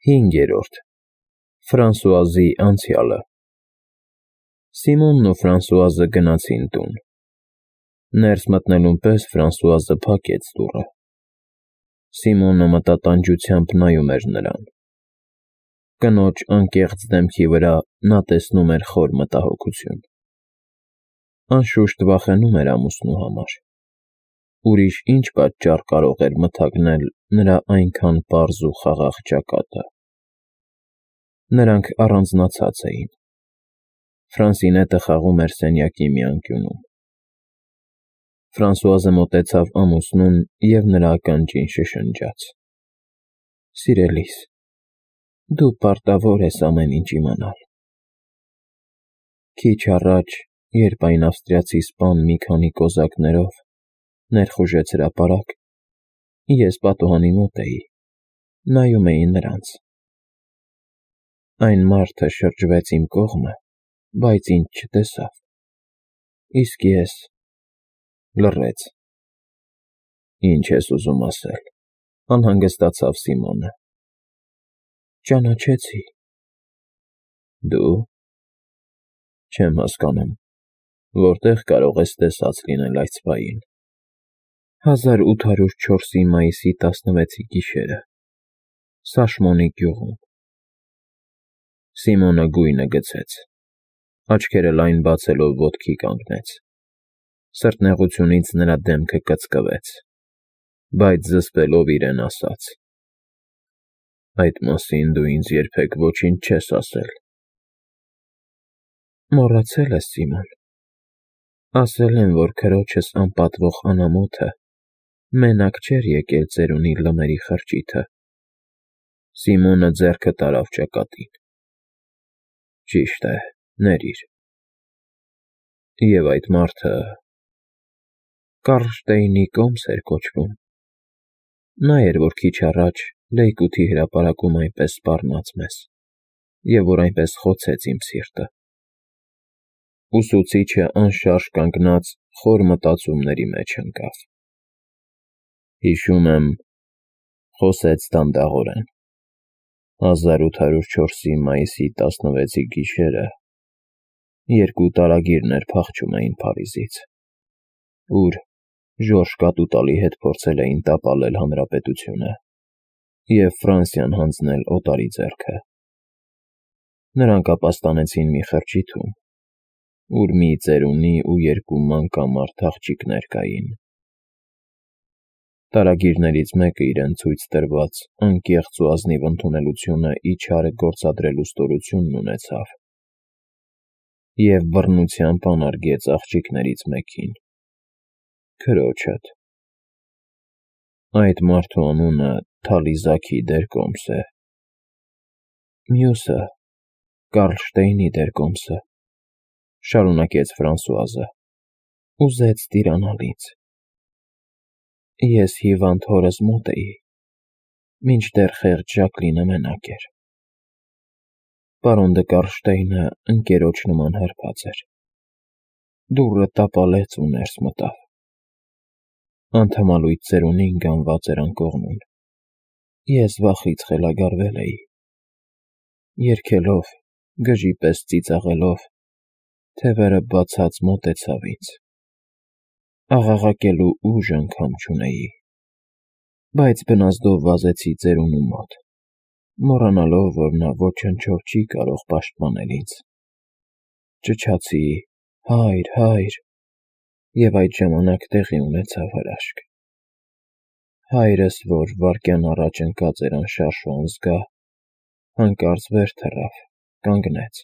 5. Ֆրանսուազի անցյալը։ Սիմոնն ու Ֆրանսուազը գնացին տուն։ Ներս մտնելուն պես Ֆրանսուազը փակեց դուռը։ Սիմոնը մտատանջությամբ նայում էր նրան։ Կնոջ անկեղծ դեմքի վրա նա տեսնում էր խոր մտահոգություն։ Անշուշտ վախենում էր ամուսնու համար։ Ուրիշ ինչ պատճառ կարող էր մթագնել նրա այնքան պարզ ու խաղաղ ճակատը։ Նրանք առանձնացած էին։ Ֆրանսինետը խաղում էր սենյակի մի անկյունում։ Ֆրանսուազը մոտեցավ ամուսնուն և նրա ականջին շշնջաց. «Սիրելիս, դու պարտավոր ես ամեն ինչ իմանալ»։ Քիչ առաջ, երբ այն ավստրիացի սպան մի քանի կոզակներով ներխուժեց հրապարակ, ես պատուհանի մոտ էի, նայում էի նրանց։ Այն մարդը շրջվեց իմ կողմը, բայց ինձ չտեսավ, իսկ ես… լռեց։ «Ինչ ես ուզում ասել,֊ անհանգստացավ Սիմոնը։ Ճանաչեցի»։ Դու… Չեմ հասկանում, որտեղ կարող ես տեսած լինել այս պահին։ 1804-ի մայիսի 16-ի գիշերը, Սաշմոնի գյուղում։ Սիմոնը գույնը գցեց, աչքերը լայն բացելով ոտքի կանգնեց։ Սրտնեղությունից նրա դեմքը կծկվեց, բայց զսպելով իրեն ասաց. «Այդ մասին դու ինձ երբեք ոչինչ չես ասել»։ Մոռացել ես, Սիմոն։ Ասել են, որ քրոջս անպատվող անամոթը մենակ չէր եկել ծերունի լմերի խրճիթը։ Սիմոնը ձեռքը տարավ ճակատին։ Ճիշտ է, ներիր։ Եվ այդ մարդը… Կառլշտեյնի կոմս էր կոչվում։ Նա էր, որ քիչ առաջ Լեյկութի հրապարակում այնպես սպառնաց մեզ, և որ այնպես խոցեց իմ սիրտը։ Ուսուցիչը անշարժ կանգնած խոր մտածումների մեջ ընկավ։ Հիշում եմ, խոսեց դանդաղորեն, 1804-ի մայիսի 16-ի գիշերը երկու տարագիրներ փախչում էին Փարիզից, ուր Ժորժ Կատուտալի հետ փորձել էին տապալել հանրապետությունը և Ֆրանսիան հանձնել օտարի ձեռքը։ Նրանք ապաստանեցին մի խրճիթում, ուր մի ծերունի ու երկու մանկամարդ աղջիկներ կային։ Տարագիրներից մեկը իրեն ցույց տրված անկեղծ ու ազնիվ ընդունելությունը իչարը գործադրելու ստորությունն ունեցավ և բռնությամբ անարգեց աղջիկներից մեկին, քրոջդ։ Այդ մարդու անունը Թալի Դերկոմս է։ Մյուսը Կառլշտեյնի Դերկոմսը, շարունակեց Ֆրանսուազը, ուզեց տիրանալ ինձ։ Ես հիվանդ հորս մոտ էի, մինչդեռ խեղճ Ժակլինը մենակ էր։ Պարոն դը Կառլշտեյնը ընկերոջ նման հարբած էր։ Դուռը տապալեց ու ներս մտավ։ Անդամալույծ ծերունին գանված էր անկողնում։ Ես վախից խելագարվել էի։ Երգելով, գժի պես ծիծաղելով, թևերը բացած մոտեցավ ինձ։ Աղաղակելու ուժ անգամ չունեի, բայց բնազդով վազեցի ծերունու մոտ, մոռանալով, որ նա ոչնչով չի կարող պաշտպանել ինձ։ Ճչացի. «Հայր, հայր», և այդ ժամանակ տեղի ունեցավ հրաշք։ Հայրս, որ վայրկյան առաջ ընկած էր անշարժ ու անզգա, հանկարծ վեր թռավ, կանգնեց,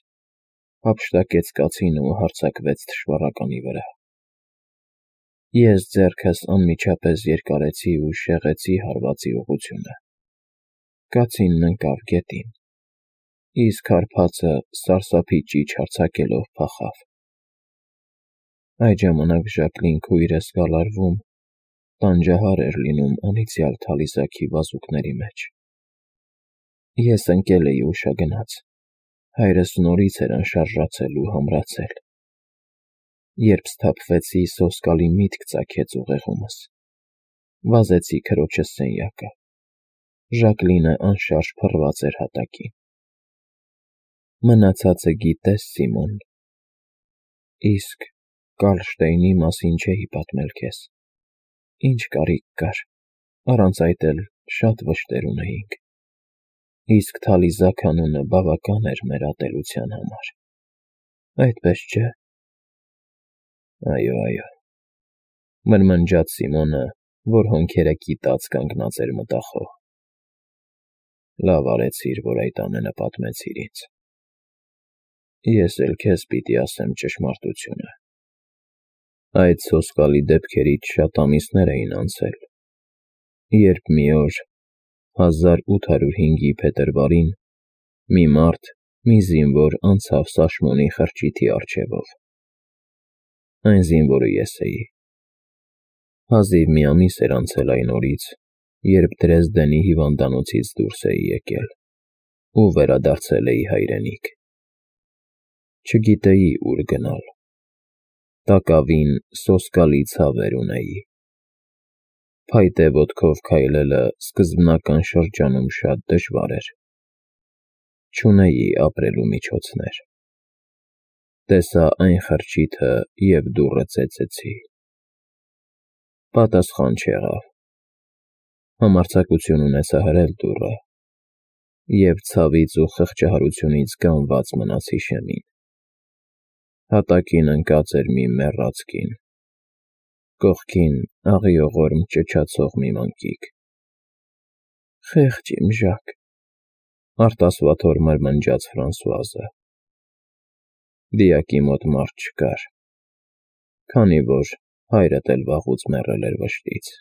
հափշտակեց կացինը ու հարձակվեց թշվառականի վրա։ Ես ձեռքս անմիջապես երկարեցի ու շեղեցի հարվածի ուղղությունը։ Կացինն ընկավ գետին, իսկ հարբածը սարսափի ճիչ արձակելով փախավ։ Այդ ժամանակ Ժակլին քույրս գալարվում, տանջահար էր լինում անիծյալ Թալի վազուկների մեջ։ Ես ընկել էի ուշագնաց, հայրս նորից էր անշարժացել ու համրացել։ Երբ սթափվեցի, սոսկալի միտք ծագեց ուղեղումս։ Վազեցի քրոջս սենյակը։ Ժակլինը անշարժ փռված էր հատակին։ Մնացածը գիտես, Սիմոն, իսկ Կարլշտեյնի մասին չէի պատմել քեզ։ Ինչ կարիք կար, առանց այդ էլ շատ վշտեր ունեինք։ Իսկ Թալիզակ անունը բավական էր մեր ատելության համար։ Այդպես չէ։ Այո, այո, մրմնջաց Սիմոնը, որ հոնքերը կիտած կանգնած էր մտախոհ։ Լավ արեցիր, որ այդ ամենը պատմեցիր ինձ։ Ես էլ քեզ պիտի ասեմ ճշմարտությունը։ Այդ սոսկալի դեպքերից շատ ամիսներ էին անցել, երբ մի օր 1805-ի փետրվարին մի մարդ, մի զինվոր անցավ Սաշմոնի խրճիթի առջևով։ Այն զինվորը ես էի։ Հազիվ մի ամիս էր անցել այն օրից, երբ Դրեզդենի հիվանդանոցից դուրս էի եկել ու վերադարձել էի հայրենիք։ Չգիտեի ուր գնալ։ Տակավին սոսկալի ցավեր ունեի։ Փայտե ոտքով քայլելը սկզբնական շրջանում շատ դժվար էր։ Չունեի ապրելու միջոցներ։ Տեսա այն խրճիթը և դուռը ծեծեցի։ Պատասխան չեղավ։ Համարձակություն ունեցա հրել դուռը և ցավից ու խղճահարությունից գանված մնացի շեմին։ Հատակին ընկած էր մի մեռած կին, կողքին աղիողորմ ճչացող մի մանկիկ։ Խեղճ իմ Ժակ, արտասվաթոր մրմնջաց Ֆրանսուազը։ Դիակի մոտ մարդ չկար, քանի որ հայրդ էլ վաղուց մեռել էր վշտից։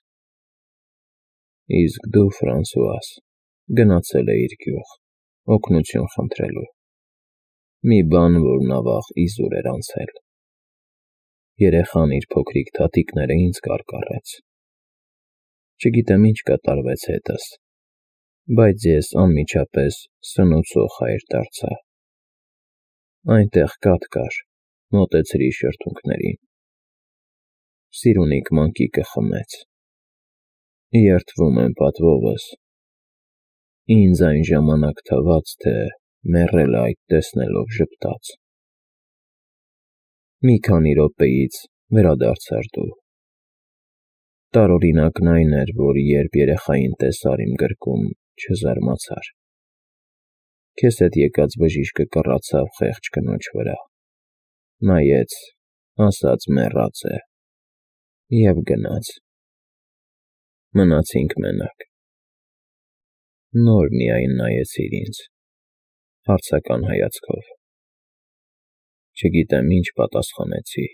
Իսկ դու, Ֆրանսուազ, գնացել էիր գյուղ, օգնություն խնդրելու։ Մի բան, որ նավաղ իզուր էր անցել։ Երեխան իր փոքրիկ թաթիկները ինձ կարկառեց։ Չգիտեմ ինչ կատարվեց հետս, բայց ես անմիջապես սնուցող հայր դարձա։ Այնտեղ կաթ կար, մոտեցրի շրթունքներին։ Սիրունիկ մանկիկը խմեց։ Երդվում եմ պատվովս։ Ինձ այն ժամանակ թվաց, թե մեռել է այդ տեսնելով ժպտաց։ Մի քանի րոպեից վերադարձար դու։ Տարօրինակն այն էր, որ երբ երեխային տեսար իմ գրկում, չզարմացար։ Քեզ հետ եկած բժիշկը կռացավ խեղճ կնոջ վրա, նայեց, ասաց մեռած է և գնաց։ Մնացինք մենակ։ Նոր միայն նայեցիր ինձ, հարցական հայացքով։ Չգիտեմ ինչ պատասխանեցի,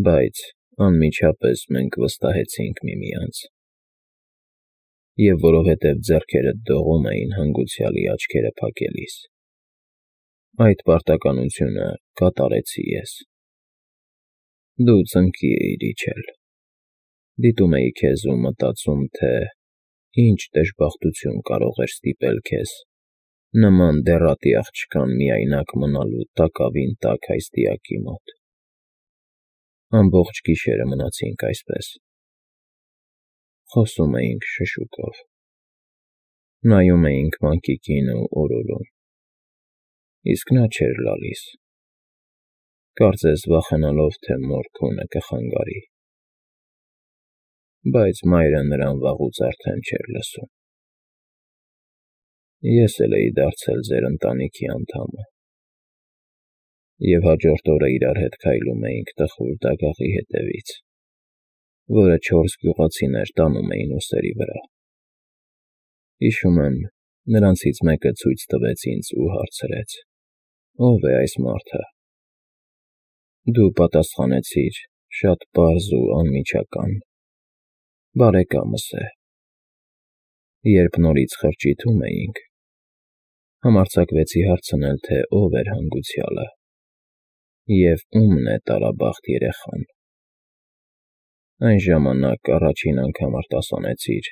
բայց անմիջապես մենք վստահեցինք միմյանց։ Եվ որովհետև ձեռքերդ դողում էին հանգուցյալի աչքերը փակելիս, այդ պարտականությունը կատարեցի ես։ Դու ծնկի էիր իջել։ Դիտում էի քեզ ու մտածում, թե ինչ դժբախտություն կարող էր ստիպել քեզ նման դեռատի աղջկան միայնակ մնալու տակավին տաք այս դիակի մոտ։ Ամբողջ գիշերը մնացինք այսպես։ Խոսում էինք շշուկով։ Նայում էինք մանկիկին ու օրորում։ Իսկ նա չէր լալիս։ Կարծես վախենալով, թե մոր քունը կխանգարի։ Բայց մայրը նրան վաղուց արդեն չէր լսում։ Ես էլ էի դարձել ձեր ընտանիքի անդամը։ Եվ հաջորդ օրը իրար հետ քայլում էինք տխուր դագաղի հետևից, որը 4 գյուղացիներ տանում էին ուսերի վրա։ Հիշում եմ, նրանցից մեկը ցույց տվեց ինձ ու հարցրեց. «Ո՞վ է այս մարդը»։ Դու պատասխանեցիր շատ պարզ ու անմիջական. «Բարեկամս է»։ Երբ նորից խրճիթում էինք, համարձակվեցի հարցնել, թե ով էր հանգուցյալը և ումն է տարաբախտ երեխան։ Այն ժամանակ առաջին անգամ արտասանեցիր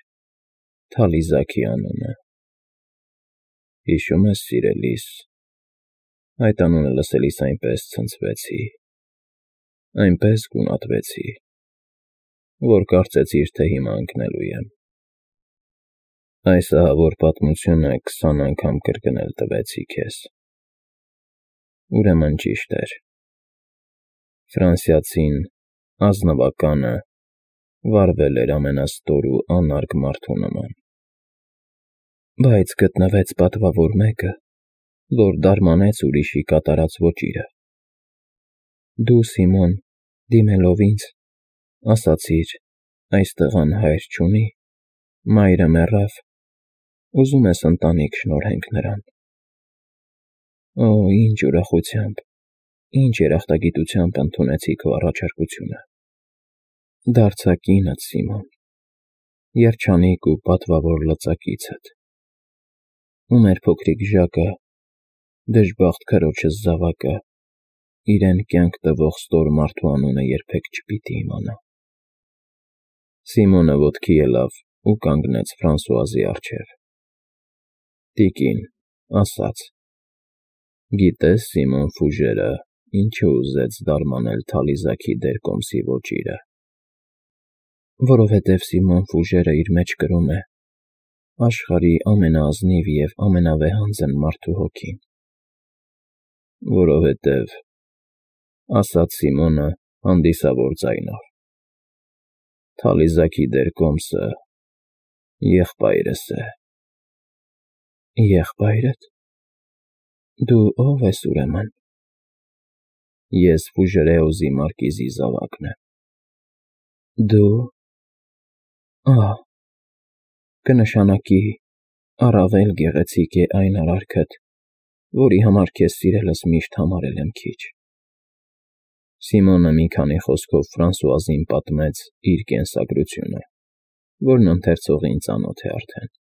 Թալիզակի անունը։ Հիշո՞ւմ ես, սիրելիս, այդ անունը լսելիս այնպես ցնցվեցի, այնպես գունատվեցի, որ կարծեցիր, թե հիմա ընկնելու եմ։ Այս ահավոր պատմությունը 20 անգամ կրկնել տվեցի քեզ։ Ուրեմն ճիշտ էր։ Ֆրանսիացին, ազնվականը, վարվել էր ամենաստոր ու անարգ մարդու նման։ Բայց գտնվեց պատվավոր մեկը, որ դարմանեց ուրիշի կատարած ոճիրը։ Դու, Սիմոն, դիմելով ինձ, ասացիր. այս տղան հայր չունի, մայրը մեռավ, ուզում ես ընտանիք շնորհենք նրան։ Օ, ինչ ուրախությամբ, ինչ երախտագիտությամբ ընդունեցի քո առաջարկությունը։ Դարձա կինդ, Սիմոն, երջանիկ ու պատվավոր լծակիցդ։ Ու մեր փոքրիկ Ժակը, դժբախտ քրոջս զավակը, իրեն կյանք տվող ստոր մարդու անունը երբեք չպիտի իմանա։ Սիմոնը ոտքի ելավ ու կանգնեց Ֆրանսուազի առջև։ Տիկին, ասաց. գիտես Սիմոն Ֆուժերը ինչը ուզեց դարմանել Թալիզաքի դերկոմսի ոճիրը։ Որովհետև Սիմոն Ֆուժերը իր մեջ կրում է աշխարհի ամենաազնիվ և ամենավեհանձն մարդու հոգին։ Որովհետև, ասաց Սիմոնը հանդիսավոր ձայնով, Թալիզաքի դերկոմսը եղբայրս է։ Եղբայրդ։ Դու ով ես ուրեմն։ Ես Ֆուժերեոզի մարկիզի զավակն եմ։ Դու… Ահ… Կնշանակի առավել գեղեցիկ է այն արարքդ, որի համար քեզ սիրելս միշտ համարել եմ քիչ։ Սիմոնը մի քանի խոսքով Ֆրանսուազին պատմեց իր կենսագրությունը, որն ընթերցողին ծանոթ է արդեն։